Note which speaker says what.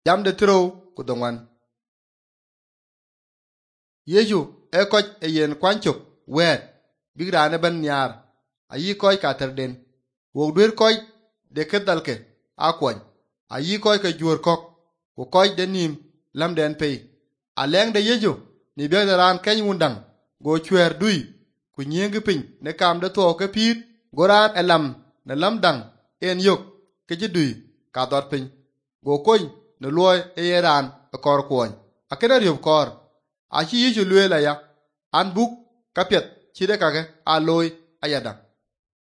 Speaker 1: jam de tro ku dongwan Yesu e ko e yen kwanchok wet bigrane ban nyar ayi koy katerden wo dwer koy de kedalke akwon ayi koy ke jur kok ku koy de nim lamden pe aleng de Yesu ni be ran ken wundang go chwer dui ku nyeng pin ne kam de to ke pit goran elam ne lamdang en yok ke jidui ka dot pin go koy ne loy e ran kor kwon akena riob kor achi Yesu lwe la ya an buk kapet chide kake a loy ayada